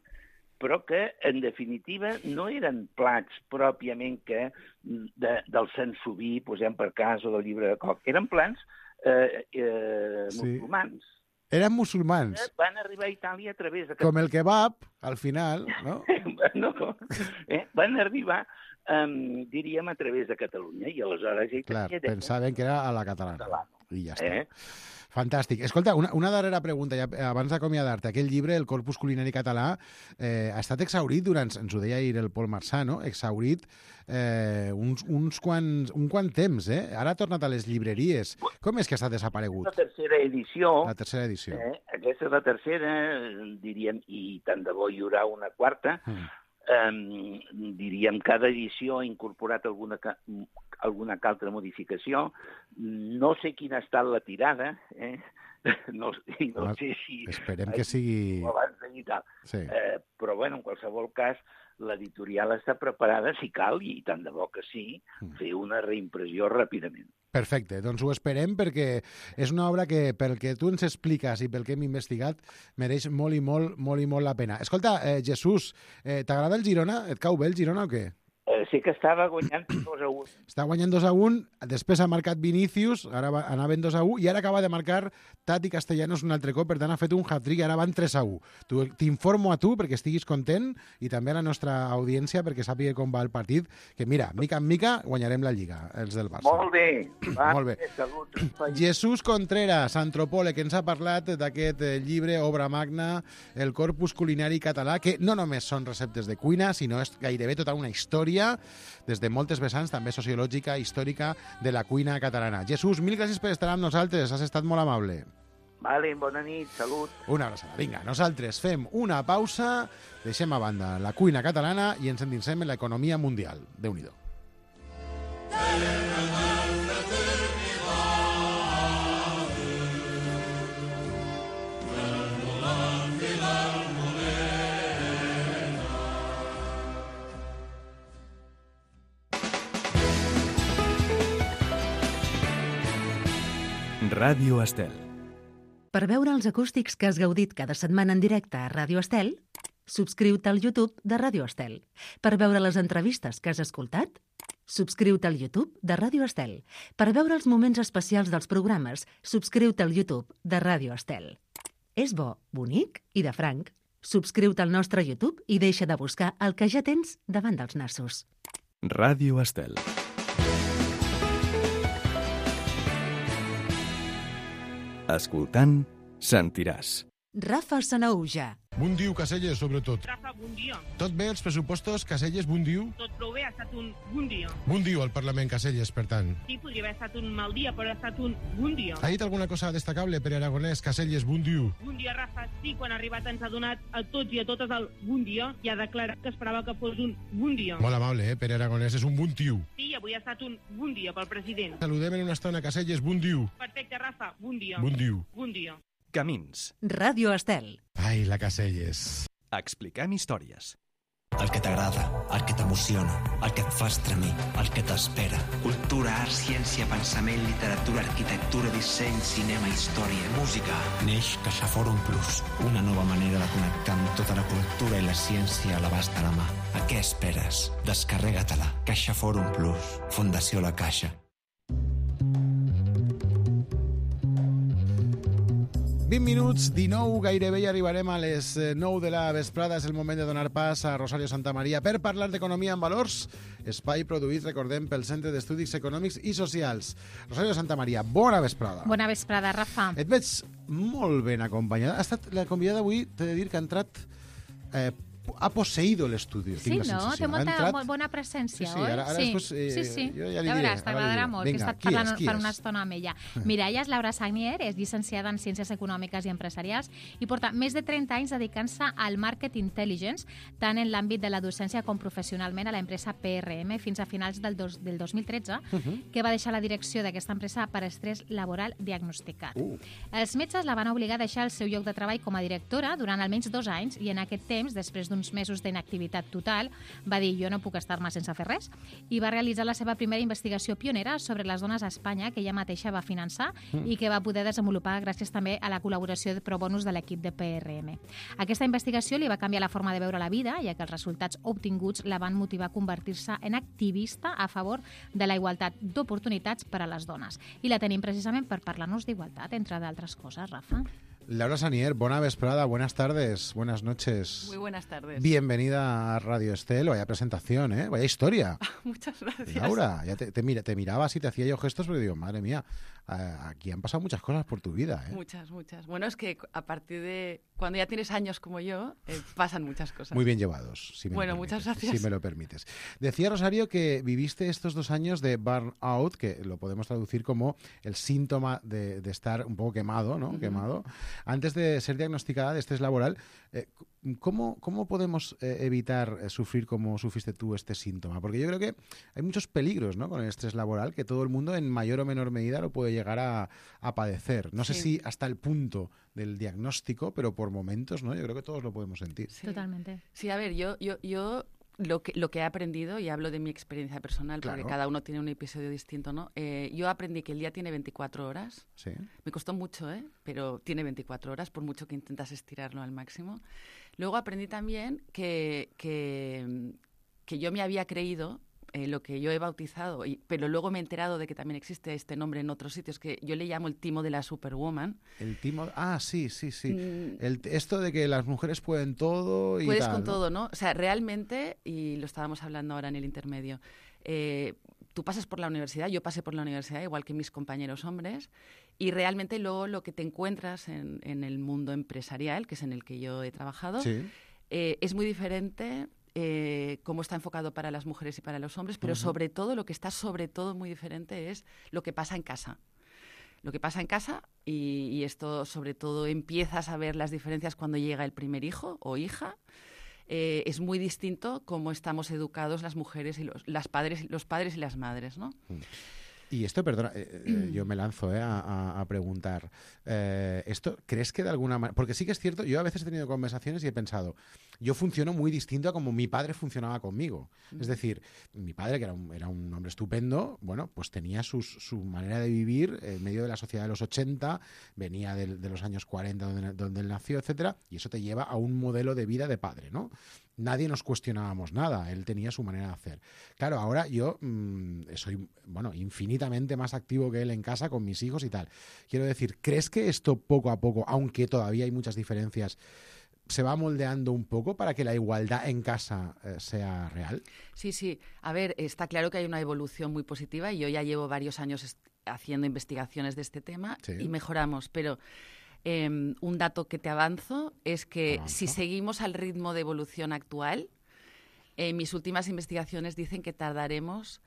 però que, en definitiva, no eren plats pròpiament que de, del Sansoví, posem per cas, o del llibre de Coc. Eren plats eh, eh, sí. musulmans. Eren musulmans. Van arribar a Itàlia a través de... Com el kebab, al final, no? no. Eh? Van arribar, um, diríem, a través de Catalunya, i aleshores... Clar, pensaven que era a la catalana. I ja està. Eh? Fantàstic. Escolta, una, una darrera pregunta, ja, abans d'acomiadar-te. Aquell llibre, El corpus culinari català, eh, ha estat exhaurit durant, ens ho deia ahir el Pol Marçà, no? Exhaurit eh, uns, uns quants, un quant temps, eh? Ara ha tornat a les llibreries. Com és que està desaparegut? La tercera edició. La tercera edició. Eh, aquesta és la tercera, diríem, i tant de bo hi haurà una quarta. Mm. Um, diríem, cada edició ha incorporat alguna, alguna altra modificació. No sé quina ha estat la tirada, eh? no, no sé si... Esperem que sigui... Abans de tal. Sí. Eh, però, bueno, en qualsevol cas, l'editorial està preparada, si cal, i tant de bo que sí, fer una reimpressió ràpidament. Perfecte, doncs ho esperem perquè és una obra que, pel que tu ens expliques i pel que hem investigat, mereix molt i molt, molt i molt la pena. Escolta, eh, Jesús, eh, t'agrada el Girona? Et cau bé el Girona o què? Eh, sí que estava guanyant dos a un. Està guanyant dos a un, després ha marcat Vinícius, ara va, anaven dos a un, i ara acaba de marcar Tati Castellanos un altre cop, per tant ha fet un hat-trick i ara van tres a un. T'informo a tu perquè estiguis content i també a la nostra audiència perquè sàpiga com va el partit, que mira, mica en mica guanyarem la Lliga, els del Barça. Molt bé. Va, Molt bé. Salut. Jesús Contreras, antropòleg, que ens ha parlat d'aquest llibre, obra magna, El corpus culinari català, que no només són receptes de cuina, sinó és gairebé tota una història des de moltes vessants, també sociològica, històrica, de la cuina catalana. Jesús, mil gràcies per estar amb nosaltres, has estat molt amable. Vale, bona nit, salut. Una abraçada. Vinga, nosaltres fem una pausa, deixem a banda la cuina catalana i ens endinsem en l'economia mundial. Déu-n'hi-do. Ràdio Estel. Per veure els acústics que has gaudit cada setmana en directe a Ràdio Estel, subscriu-te al YouTube de Ràdio Estel. Per veure les entrevistes que has escoltat, subscriu-te al YouTube de Ràdio Estel. Per veure els moments especials dels programes, subscriu-te al YouTube de Ràdio Estel. És bo, bonic i de franc. Subscriu-te al nostre YouTube i deixa de buscar el que ja tens davant dels nassos. Ràdio Estel. Escoltant, sentiràs. Rafa Sanaúja. Bon dia, Caselles, sobretot. Rafa, bon dia. Tot bé, els pressupostos, Caselles, bon dia? Tot prou bé, ha estat un bon dia. Bon dia al Parlament, Caselles, per tant. Sí, podria haver estat un mal dia, però ha estat un bon dia. Ha dit alguna cosa destacable per Aragonès, Caselles, bon dia? Bon dia, Rafa. Sí, quan ha arribat ens ha donat a tots i a totes el bon dia i ha declarat que esperava que fos un bon dia. Molt amable, eh? Pere Aragonès és un bon tio. Sí, avui ha estat un bon dia pel president. Saludem en una estona, Caselles, bon dia. Perfecte, Rafa, bon dia. Bon dia. Bon dia. Camins. Ràdio Estel. Ai, la Caselles. Expliquem històries. El que t'agrada, el que t'emociona, el que et fa estremir, el que t'espera. Cultura, art, ciència, pensament, literatura, arquitectura, disseny, cinema, història, música. Neix CaixaForum Plus, una nova manera de connectar amb tota la cultura i la ciència a l'abast de la mà. A què esperes? Descarrega-te-la. CaixaForum Plus. Fundació La Caixa. vint minuts, dinou, gairebé ja arribarem a les nou de la vesprada. És el moment de donar pas a Rosario Santamaría per parlar d'economia en valors, espai produït, recordem, pel Centre d'Estudis Econòmics i Socials. Rosario Santamaría, bona vesprada. Bona vesprada, Rafa. Et veig molt ben acompanyada. Ha estat la convidada avui, t'he de dir que ha entrat... Eh, ha posseïdo l'estudio, sí, tinc la no? sensació. Té molta, entrat... molt bona presència, sí, sí, oi? ara, ara sí, després, eh, sí, sí. Jo ja li ja diré. veuràs, t'agradarà molt, Vinga, que he estat qui parlant és, qui per és? una estona amb ella. Mira, ella és Laura Sagnier, és llicenciada en Ciències Econòmiques i Empresarials i porta més de trenta anys dedicant-se al market intelligence, tant en l'àmbit de la docència com professionalment a l'empresa P R M, fins a finals del, dos, del dos mil tretze, uh-huh. que va deixar la direcció d'aquesta empresa per estrès laboral diagnosticat. Uh. Els metges la van obligar a deixar el seu lloc de treball com a directora durant almenys dos anys i en aquest temps, després d'uns mesos d'inactivitat total, va dir jo no puc estar-me sense fer res i va realitzar la seva primera investigació pionera sobre les dones a Espanya que ella mateixa va finançar mm. i que va poder desenvolupar gràcies també a la col·laboració de pro bonus de l'equip de P R M. Aquesta investigació li va canviar la forma de veure la vida, ja que els resultats obtinguts la van motivar a convertir-se en activista a favor de la igualtat d'oportunitats per a les dones. I la tenim precisament per parlar-nos d'igualtat, entre d'altres coses, Rafa. Laura Sagnier, buena vesprada, buenas tardes, buenas noches. Muy buenas tardes. Bienvenida a Radio Estel, vaya presentación, ¿eh? Vaya historia. Muchas gracias. Laura, ya te, te, mira, te miraba así, te hacía yo gestos, pero digo, madre mía, aquí han pasado muchas cosas por tu vida, ¿eh? Muchas, muchas. Bueno, es que a partir de cuando ya tienes años como yo, eh, pasan muchas cosas. Muy bien llevados, si me bueno, lo permites, muchas gracias. Si me lo permites. Decía Rosario que viviste estos dos años de burnout, que lo podemos traducir como el síntoma de, de estar un poco quemado, ¿no? Uh-huh. Quemado. Antes de ser diagnosticada de estrés laboral, eh, ¿cómo, ¿cómo podemos eh, evitar eh, sufrir como sufriste tú este síntoma? Porque yo creo que hay muchos peligros, ¿no? Con el estrés laboral, que todo el mundo en mayor o menor medida lo puede llegar a, a padecer. No sí. sé si hasta el punto del diagnóstico, pero por momentos, ¿no? Yo creo que todos lo podemos sentir. Sí. Totalmente. Sí, a ver, yo, yo, yo lo que, lo que he aprendido, y hablo de mi experiencia personal, claro, porque cada uno tiene un episodio distinto, ¿no? Eh, yo aprendí que el día tiene veinticuatro horas. Sí. Me costó mucho, ¿eh? Pero tiene veinticuatro horas, por mucho que intentas estirarlo al máximo. Luego aprendí también que, que, que yo me había creído eh, lo que yo he bautizado, y, pero luego me he enterado de que también existe este nombre en otros sitios, que yo le llamo el timo de la superwoman. El timo... Ah, sí, sí, sí. Mm. El, esto de que las mujeres pueden todo y Puedes tal, con ¿no? todo, ¿no? O sea, realmente, y lo estábamos hablando ahora en el intermedio, eh, tú pasas por la universidad, yo pasé por la universidad, igual que mis compañeros hombres, y realmente luego lo que te encuentras en, en el mundo empresarial, que es en el que yo he trabajado, sí. eh, es muy diferente eh, cómo está enfocado para las mujeres y para los hombres, pero uh-huh. sobre todo, lo que está sobre todo muy diferente es lo que pasa en casa. Lo que pasa en casa, y, y esto sobre todo empiezas a ver las diferencias cuando llega el primer hijo o hija. Eh, es muy distinto cómo estamos educados las mujeres y los, las padres, los padres y las madres, ¿no? Y esto, perdona, eh, eh, yo me lanzo eh, a, a, a preguntar, eh, ¿esto crees que de alguna manera...? Porque sí que es cierto, yo a veces he tenido conversaciones y he pensado, yo funciono muy distinto a como mi padre funcionaba conmigo. Mm. Es decir, mi padre, que era un, era un hombre estupendo, bueno, pues tenía sus, su manera de vivir en medio de la sociedad de los ochenta, venía de, de los años cuarenta donde, donde él nació, etcétera, y eso te lleva a un modelo de vida de padre, ¿no? Nadie nos cuestionábamos nada, él tenía su manera de hacer. Claro, ahora yo mmm, soy, bueno, infinitamente más activo que él en casa con mis hijos y tal. Quiero decir, ¿crees que esto poco a poco, aunque todavía hay muchas diferencias, se va moldeando un poco para que la igualdad en casa eh, sea real? Sí, sí. A ver, está claro que hay una evolución muy positiva y yo ya llevo varios años haciendo investigaciones de este tema sí. y mejoramos, pero... Eh, un dato que te avanzo es que ¿Avanzo? si seguimos al ritmo de evolución actual, eh, mis últimas investigaciones dicen que tardaremos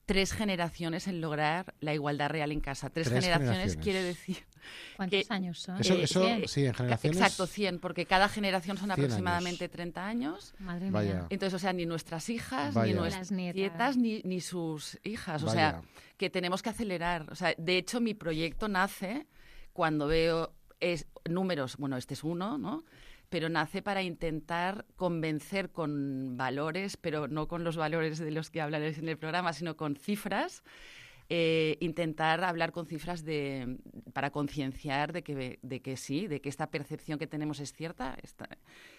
tres generaciones en lograr la igualdad real en casa. Tres, tres generaciones, generaciones quiere decir... ¿Cuántos que, años son? Eso, eh, eso cien, sí, en generaciones... Exacto, cien, porque cada generación son aproximadamente años. treinta años. Madre Vaya. mía. Entonces, o sea, ni nuestras hijas, Vaya. ni nuestras nietas, ni, ni sus hijas. O Vaya. sea, que tenemos que acelerar. O sea, de hecho, mi proyecto nace cuando veo... Es, números, bueno, este es uno, ¿no? Pero nace para intentar convencer con valores, pero no con los valores de los que hablaré en el programa, sino con cifras, eh, intentar hablar con cifras de, para concienciar de que, de que sí, de que esta percepción que tenemos es cierta. Está,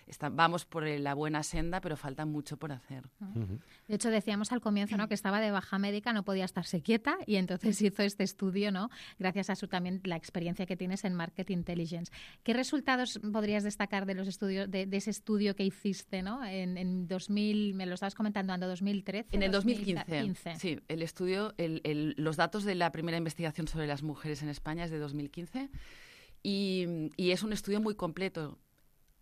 está, vamos por la buena senda, pero falta mucho por hacer. Uh-huh. De hecho, decíamos al comienzo, ¿no?, que estaba de baja médica, no podía estarse quieta, y entonces hizo este estudio, ¿no?, gracias a su también la experiencia que tienes en Market Intelligence. ¿Qué resultados podrías destacar de los estudios, de, de ese estudio que hiciste, ¿no?, en, en dos mil, me lo estabas comentando, en dos mil trece? En el dos mil quince. Sí, el estudio, el, el, los datos de la primera investigación sobre las mujeres en España es de dos mil quince y, y es un estudio muy completo.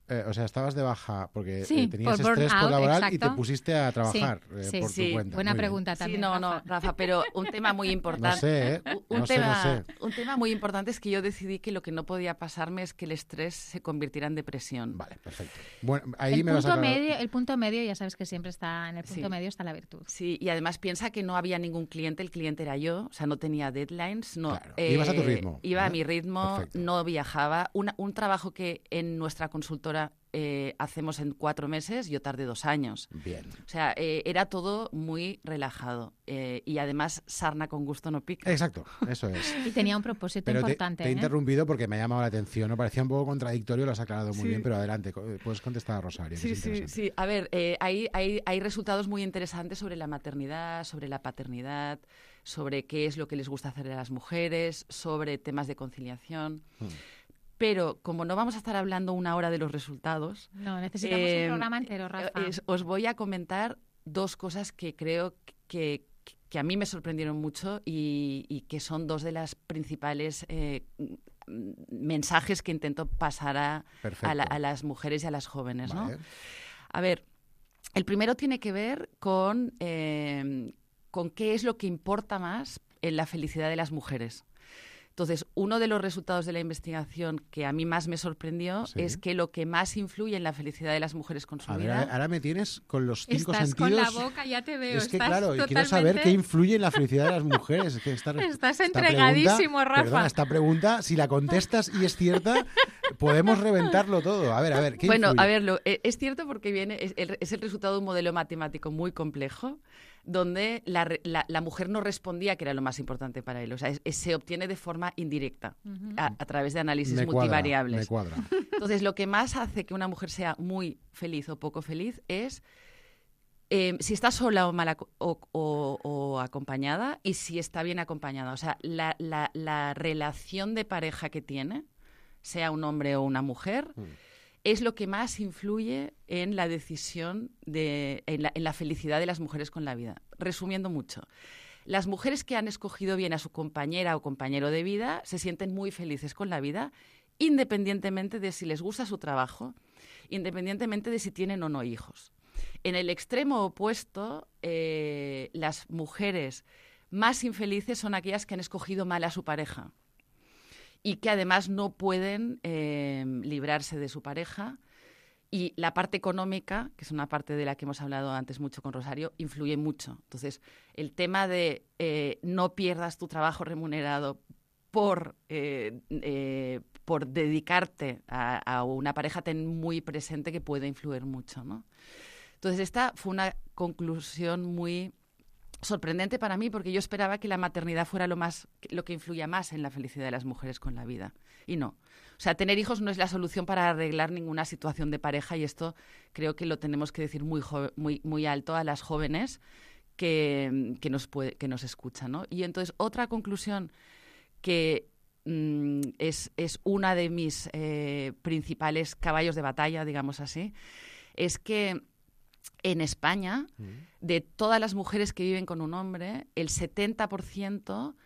Eh, o sea, estabas de baja porque sí, eh, tenías por estrés out, por laboral exacto. y te pusiste a trabajar sí, eh, sí, por sí. tu cuenta. Buena muy pregunta bien. también. Sí, no, Rafa. no, Rafa, pero un tema muy importante. No sé, ¿eh? Un, no tema, sé, no sé. un tema muy importante es que yo decidí que lo que no podía pasarme es que el estrés se convirtiera en depresión. Vale, perfecto. Bueno, ahí el me punto vas a medio, el punto medio, ya sabes que siempre está en el punto sí. medio está la virtud. Sí, y además piensa que no había ningún cliente, el cliente era yo, o sea, no tenía deadlines, no. Claro. Eh, ibas a tu ritmo. Iba ¿eh? a mi ritmo, Perfecto. No viajaba. Una, un trabajo que en nuestra consultora Eh, hacemos en cuatro meses, yo tardé dos años. Bien. O sea, eh, era todo muy relajado. Eh, y además, sarna con gusto no pica. Exacto, eso es. Y tenía un propósito pero importante. Te, te he ¿eh? interrumpido porque me ha llamado la atención. ¿No? Parecía un poco contradictorio, lo has aclarado muy sí. bien, pero adelante, puedes contestar a Rosario. Sí, sí, sí. A ver, eh, hay, hay, hay resultados muy interesantes sobre la maternidad, sobre la paternidad, sobre qué es lo que les gusta hacer a las mujeres, sobre temas de conciliación. Hmm. Pero como no vamos a estar hablando una hora de los resultados... No, necesitamos eh, un programa entero, Rafa. Eh, os voy a comentar dos cosas que creo que, que a mí me sorprendieron mucho y, y que son dos de las principales eh, mensajes que intento pasar a, a, la, a las mujeres y a las jóvenes, Vale. ¿no? A ver, el primero tiene que ver con, eh, con qué es lo que importa más en la felicidad de las mujeres. Entonces, uno de los resultados de la investigación que a mí más me sorprendió Sí. es que lo que más influye en la felicidad de las mujeres con su A ver, vida... ahora me tienes con los cinco Estás sentidos. con la boca, ya te veo. Es que estás claro, totalmente... quiero saber qué influye en la felicidad de las mujeres. Es que esta, Estás esta entregadísimo, pregunta, Rafa. Perdona, esta pregunta, si la contestas y es cierta, podemos reventarlo todo. A ver, a ver, ¿qué Bueno, influye? a ver, lo, eh, es cierto porque viene es el, es el resultado de un modelo matemático muy complejo donde la, re- la, la mujer no respondía, que era lo más importante para él. O sea, es- es- se obtiene de forma indirecta, Ujú. a, a través de análisis Me cuadra, multivariables. me cuadra. Entonces, lo que más hace que una mujer sea muy feliz o poco feliz es eh, si está sola o mal aco- o, o- o acompañada y si está bien acompañada. O sea, la, la- la relación de pareja que tiene, sea un hombre o una mujer, es lo que más influye en la decisión, de, en, la, en la felicidad de las mujeres con la vida. Resumiendo mucho, las mujeres que han escogido bien a su compañera o compañero de vida se sienten muy felices con la vida, independientemente de si les gusta su trabajo, independientemente de si tienen o no hijos. En el extremo opuesto, eh, las mujeres más infelices son aquellas que han escogido mal a su pareja y que además no pueden eh, librarse de su pareja. Y la parte económica, que es una parte de la que hemos hablado antes mucho con Rosario, influye mucho. Entonces, el tema de eh, no pierdas tu trabajo remunerado por, eh, eh, por dedicarte a, a una pareja, ten muy presente que puede influir mucho, ¿no? Entonces, esta fue una conclusión muy sorprendente para mí, porque yo esperaba que la maternidad fuera lo más, lo que influya más en la felicidad de las mujeres con la vida. Y no. O sea, tener hijos no es la solución para arreglar ninguna situación de pareja, y esto creo que lo tenemos que decir muy, jo- muy, muy alto a las jóvenes que, que, nos, puede, que nos escuchan, ¿no? Y entonces, otra conclusión que mm, es, es una de mis eh, principales caballos de batalla, digamos así, es que en España, de todas las mujeres que viven con un hombre, el setenta por ciento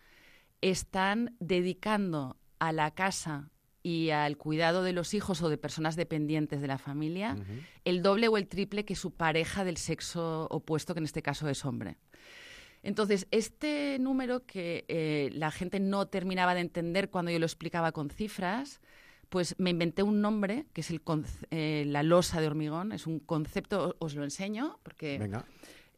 están dedicando a la casa y al cuidado de los hijos o de personas dependientes de la familia Ujú. el doble o el triple que su pareja del sexo opuesto, que en este caso es hombre. Entonces, este número que eh, la gente no terminaba de entender cuando yo lo explicaba con cifras, pues me inventé un nombre, que es el conce- eh, la losa de hormigón. Es un concepto, os lo enseño, porque... Venga.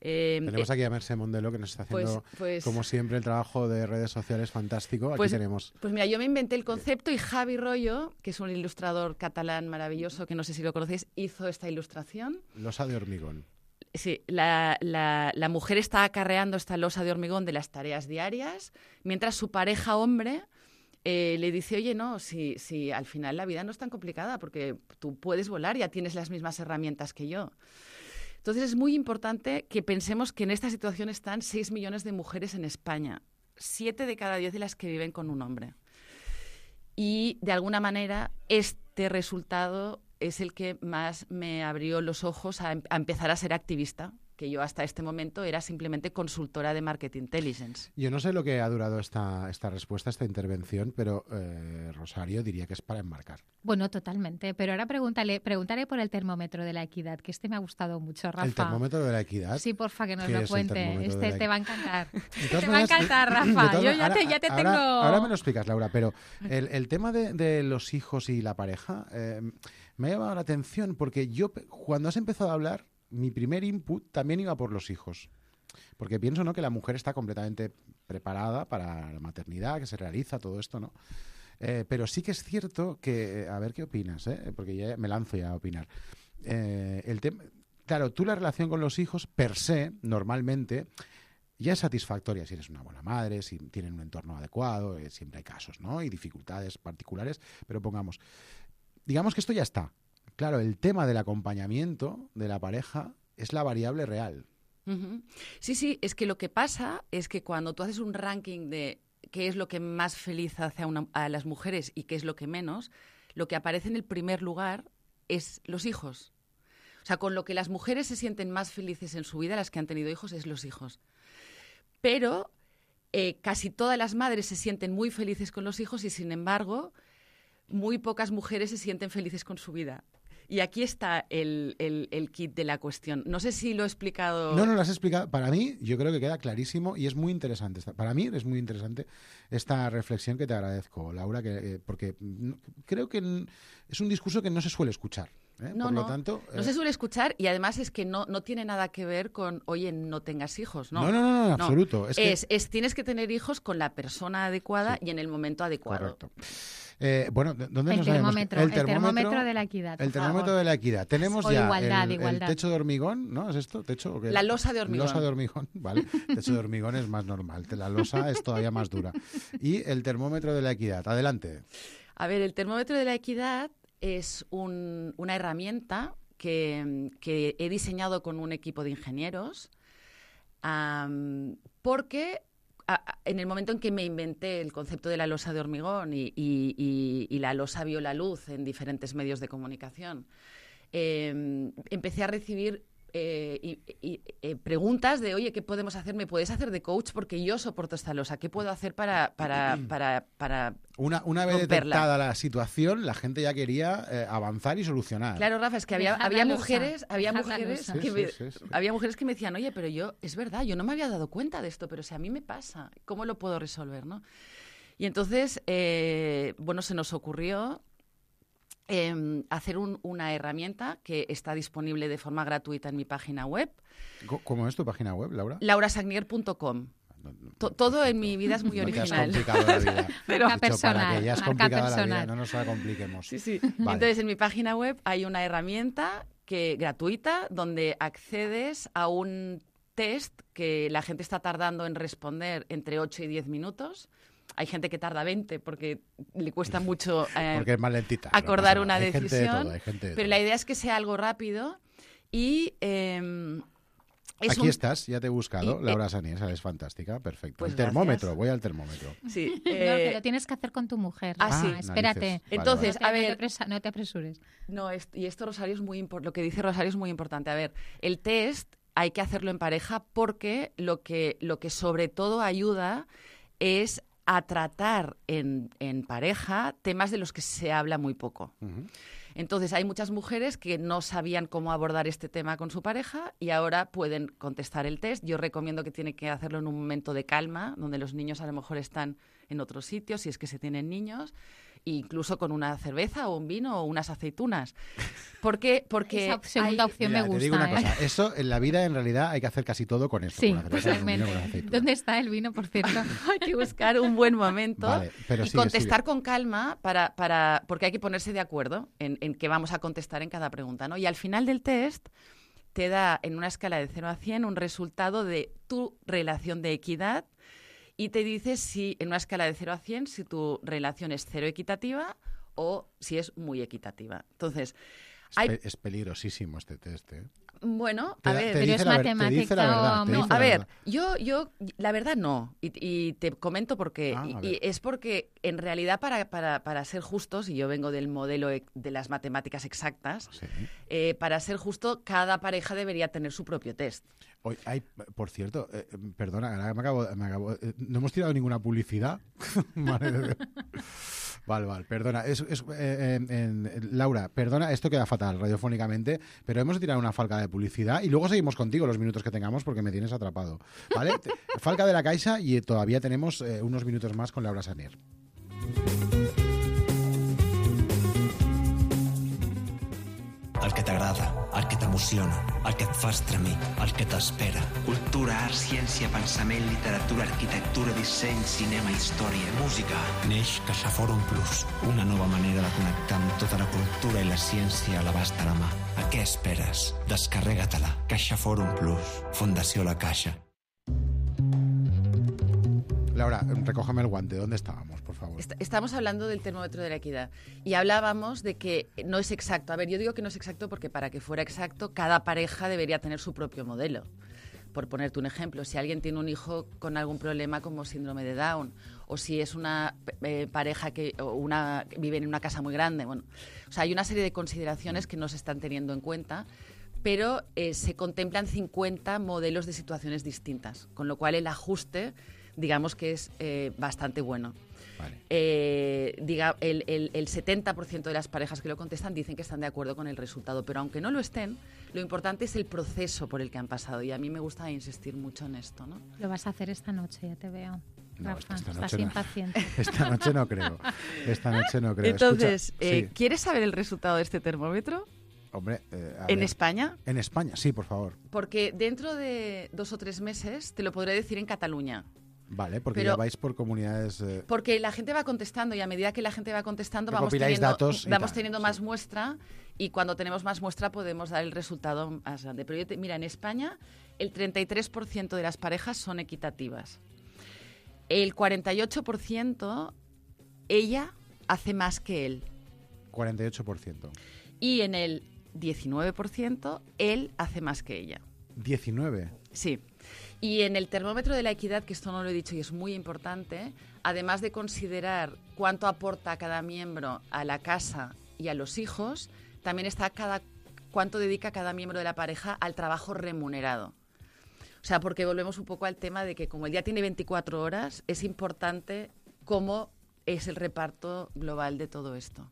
eh, Tenemos eh, aquí a Mercè Mondelo, que nos está haciendo, pues- pues- como siempre, el trabajo de redes sociales fantástico. Aquí Pues, tenemos... pues mira, yo me inventé el concepto y Javi Rollo, que es un ilustrador catalán maravilloso, que no sé si lo conocéis, hizo esta ilustración. Losa de hormigón. Sí, la, la, la mujer está acarreando esta losa de hormigón de las tareas diarias, mientras su pareja hombre eh, le dice, oye, no, si, si al final la vida no es tan complicada, porque tú puedes volar, ya tienes las mismas herramientas que yo. Entonces es muy importante que pensemos que en esta situación están seis millones de mujeres en España, siete de cada diez de las que viven con un hombre. Y de alguna manera este resultado es el que más me abrió los ojos a, em- a empezar a ser activista, que yo hasta este momento era simplemente consultora de Market Intelligence. Yo no sé lo que ha durado esta, esta respuesta, esta intervención, pero eh, Rosario diría que es para enmarcar. Bueno, totalmente. Pero ahora pregúntale, pregúntale por el termómetro de la equidad, que este me ha gustado mucho, Rafa. El termómetro de la equidad. Sí, porfa, que nos ¿Qué lo es el cuente. termómetro de Este la te va a encantar. De Te todas va a maneras, encantar, de Rafa. todas Yo ya ahora- te, ya te ahora- tengo... Ahora me lo explicas, Laura, pero el, el tema de, de los hijos y la pareja eh, me ha llamado la atención porque yo, pe- cuando has empezado a hablar, mi primer input también iba por los hijos. Porque pienso, ¿no?, que la mujer está completamente preparada para la maternidad, que se realiza todo esto, ¿no? Eh, pero sí que es cierto que, a ver qué opinas, ¿eh? Porque ya me lanzo ya a opinar. Eh, el tema, claro, tú la relación con los hijos, per se, normalmente, ya es satisfactoria si eres una buena madre, si tienen un entorno adecuado, eh, siempre hay casos, ¿no? Y dificultades particulares, pero pongamos, digamos que esto ya está. Claro, el tema del acompañamiento de la pareja es la variable real. Ujú. Sí, sí, es que lo que pasa es que cuando tú haces un ranking de qué es lo que más feliz hace a, una- a las mujeres y qué es lo que menos, lo que aparece en el primer lugar es los hijos. O sea, con lo que las mujeres se sienten más felices en su vida, las que han tenido hijos, es los hijos. pero eh, casi todas las madres se sienten muy felices con los hijos y, sin embargo, muy pocas mujeres se sienten felices con su vida. Y aquí está el, el, el kit de la cuestión. No sé si lo he explicado... No, no lo has explicado. Para mí, yo creo que queda clarísimo y es muy interesante. Esta, para mí es muy interesante esta reflexión que te agradezco, Laura, que, eh, porque creo que es un discurso que no se suele escuchar. ¿eh? No, Por no, lo tanto, no eh... se suele escuchar y además es que no, no tiene nada que ver con, oye, no tengas hijos. No, no, no, no, no en absoluto. Es, que... es, es tienes que tener hijos con la persona adecuada sí. y en el momento adecuado. Correcto. Eh, bueno, ¿dónde el nos termómetro, el termómetro, el termómetro de la equidad. El termómetro favor. de la equidad. Tenemos o ya igualdad, el, igualdad. el techo de hormigón, ¿no? ¿Es esto? ¿Techo o qué? La losa de hormigón. Losa de hormigón, vale. Techo de hormigón es más normal. La losa es todavía más dura. Y el termómetro de la equidad. Adelante. A ver, el termómetro de la equidad es un, una herramienta que, que he diseñado con un equipo de ingenieros um, porque... en el momento en que me inventé el concepto de la losa de hormigón y, y, y, y la losa vio la luz en diferentes medios de comunicación, eh, empecé a recibir eh, y, y, eh, preguntas de, oye, ¿qué podemos hacer? ¿Me puedes hacer de coach? Porque yo soporto esta losa. ¿Qué puedo hacer para, para, para, para Una, una vez romperla? detectada la situación, la gente ya quería eh, avanzar y solucionar. Claro, Rafa, es que había, había mujeres, había Dejar mujeres, sí, que sí, me, sí, sí. había mujeres que me decían, oye, pero yo, es verdad, yo no me había dado cuenta de esto, pero si a mí me pasa, ¿cómo lo puedo resolver, no? Y entonces, eh, bueno, se nos ocurrió eh, hacer un, una herramienta que está disponible de forma gratuita en mi página web. ¿Cómo es tu página web, Laura? laura sagnier punto com. To, todo en mi vida es muy no original. Te has complicado la vida. Pero marca personal, para que ya es marca complicada personal. la vida, no nos la compliquemos. Sí, sí. Vale. Entonces, en mi página web hay una herramienta que, gratuita donde accedes a un test que la gente está tardando en responder entre ocho y diez minutos. Hay gente que tarda veinte porque le cuesta mucho eh, porque es más lentita, acordar no una hay decisión. Gente de todo, hay gente de pero todo. la idea es que sea algo rápido y... Eh, Es Aquí un... estás, ya te he buscado, y, Laura eh... Sanier, es fantástica, perfecto. Pues el termómetro, gracias. voy al termómetro. Sí, eh... no, que eh... lo tienes que hacer con tu mujer. Ah, sí. Ah, espérate. Narices. Entonces, vale, vale. a ver... No te, presa, no te apresures. No, es, y esto, Rosario, es muy importante. Lo que dice Rosario es muy importante. A ver, el test hay que hacerlo en pareja porque lo que, lo que sobre todo ayuda es a tratar en, en pareja temas de los que se habla muy poco. Uh-huh. Entonces, hay muchas mujeres que no sabían cómo abordar este tema con su pareja y ahora pueden contestar el test. Yo recomiendo que tienen que hacerlo en un momento de calma, donde los niños a lo mejor están en otro sitio, si es que se tienen niños, incluso con una cerveza o un vino o unas aceitunas. ¿Por qué? Porque esa segunda hay... opción Mira, me gusta. Te digo una ¿eh? cosa, eso en la vida en realidad hay que hacer casi todo con eso. Sí, con la cerveza, totalmente. con un vino, con aceitunas. ¿Dónde está el vino, por cierto? Hay que buscar un buen momento Vale, pero y sigue, contestar sigue. con calma para, para, porque hay que ponerse de acuerdo en, en qué vamos a contestar en cada pregunta, ¿no? Y al final del test te da en una escala de cero a cien un resultado de tu relación de equidad y te dice si en una escala de cero a cien si tu relación es cero equitativa o si es muy equitativa. Entonces, es, hay... pe- es peligrosísimo este test, ¿eh? Bueno, Te a da- ver... te pero dice es la ver- te dice la matemática verdad, o- te no, dice a la ver, verdad. yo, yo, la verdad no, y, y te comento por qué. Ah, a y, ver. y es porque, en realidad, para, para, para ser justos, y yo vengo del modelo e- de las matemáticas exactas, Sí. eh, para ser justo, cada pareja debería tener su propio test. Hoy, hay, por cierto, eh, perdona, ahora me acabo, me acabo- eh, no hemos tirado ninguna publicidad. Madre de Dios. Vale, vale, perdona. Es, es, eh, en- en- Laura, perdona, esto queda fatal radiofónicamente, pero hemos tirado una falca de publicidad y luego seguimos contigo los minutos que tengamos porque me tienes atrapado. ¿Vale? Te- falca de la Caixa y todavía tenemos eh, unos minutos más con Laura Sanier. El que t'agrada, el que t'emociona, el que et fa estremir, el que t'espera. Cultura, art, ciència, pensament, literatura, arquitectura, disseny, cinema, història, música. Neix CaixaForum Plus, una nova manera de connectar amb tota la cultura i la ciència a l'abast de la mà. A què esperes? Descarrega-te-la. CaixaForum Plus. Fundació La Caixa. Laura, recógeme el guante. ¿Dónde estábamos, por favor? Est- Estamos hablando del termómetro de la equidad y hablábamos de que no es exacto. A ver, yo digo que no es exacto porque para que fuera exacto, cada pareja debería tener su propio modelo. Por ponerte un ejemplo, si alguien tiene un hijo con algún problema como síndrome de Down, o si es una eh, pareja que o una, que vive en una casa muy grande, bueno, o sea, hay una serie de consideraciones que no se están teniendo en cuenta pero eh, se contemplan cincuenta modelos de situaciones distintas, con lo cual el ajuste, digamos que es eh, bastante bueno. Vale. Eh, diga, el, el, el setenta por ciento de las parejas que lo contestan dicen que están de acuerdo con el resultado, pero aunque no lo estén, lo importante es el proceso por el que han pasado, y a mí me gusta insistir mucho en esto, ¿no? Lo vas a hacer esta noche, ya te veo. No, Rafa, esta estás noche no. impaciente. Esta noche no creo. Esta noche no creo. Entonces, Escucha, eh, sí. ¿quieres saber el resultado de este termómetro? Hombre, eh, a ¿En ver. España? En España, sí, por favor. Porque dentro de dos o tres meses te lo podré decir en Cataluña. Vale, porque Pero- ya vais por comunidades... eh, Porque la gente va contestando y a medida que la gente va contestando vamos Recopiláis teniendo, datos y vamos tal, teniendo más muestra, y cuando tenemos más muestra podemos dar el resultado más grande. Pero yo te- mira, en España el treinta y tres por ciento de las parejas son equitativas. El cuarenta y ocho por ciento ella hace más que él. cuarenta y ocho por ciento. Y en el diecinueve por ciento él hace más que ella. diecinueve. Sí. Y en el termómetro de la equidad, que esto no lo he dicho y es muy importante, además de considerar cuánto aporta cada miembro a la casa y a los hijos, también está cada, cuánto dedica cada miembro de la pareja al trabajo remunerado. O sea, porque volvemos un poco al tema de que como el día tiene veinticuatro horas, es importante cómo es el reparto global de todo esto.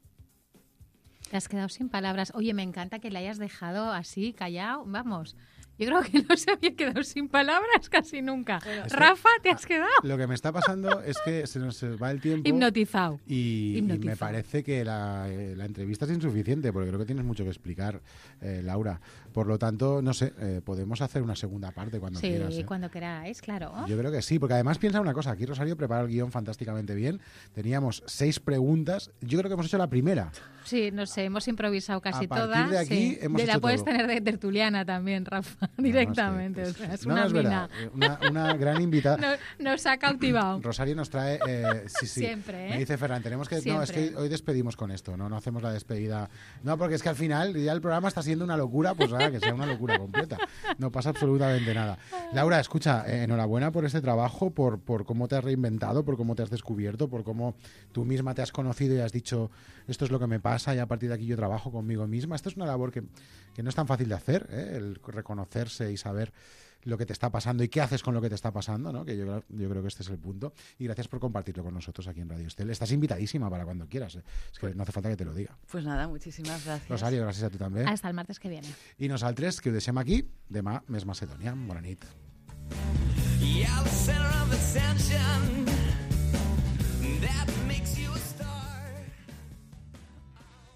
Te has quedado sin palabras. Oye, me encanta que le hayas dejado así, callado. Vamos, yo creo que no se había quedado sin palabras casi nunca. Es que- Rafa, te has quedado Lo que me está pasando es que se nos va el tiempo... hipnotizado. Y, y Hipnotizado. me parece que la, eh, la entrevista es insuficiente, porque creo que tienes mucho que explicar, eh, Laura. Por lo tanto, no sé, eh, podemos hacer una segunda parte cuando Sí, quieras. ¿eh? cuando queráis, claro. Yo creo que sí, porque además piensa una cosa, aquí Rosario prepara el guión fantásticamente bien. Teníamos seis preguntas, yo creo que hemos hecho la primera. Sí, no sé, hemos improvisado casi A partir todas. de aquí sí. hemos de la hecho puedes todo. tener de tertuliana también, Rafa, directamente. o sea, es No, una no es mina. verdad, una, una gran invitada. No- nos ha cautivado. Rosario nos trae, eh, sí, sí. Siempre, ¿eh? Me dice Ferran, tenemos que, no, es Siempre. que hoy despedimos con esto, no, no hacemos la despedida. No, porque es que al final ya el programa está siendo una locura, pues nada, que sea una locura completa. No pasa absolutamente nada. Laura, escucha, eh, enhorabuena por este trabajo, por, por cómo te has reinventado, por cómo te has descubierto, por cómo tú misma te has conocido y has dicho, esto es lo que me pasa y a partir de aquí yo trabajo conmigo misma. Esto es una labor que, que no es tan fácil de hacer, ¿eh? El reconocerse y saber lo que te está pasando y qué haces con lo que te está pasando, ¿no? Que yo, yo creo que este es el punto. Y gracias por compartirlo con nosotros aquí en Radio Estel. Estás invitadísima para cuando quieras. ¿eh? Es que no hace falta que te lo diga. Pues nada, muchísimas gracias. Rosario, gràcies a tu també. Hasta el martes que viene. I nosaltres, que ho deixem aquí, demà més Macedònia. Bona nit. Yeah, the center of attention.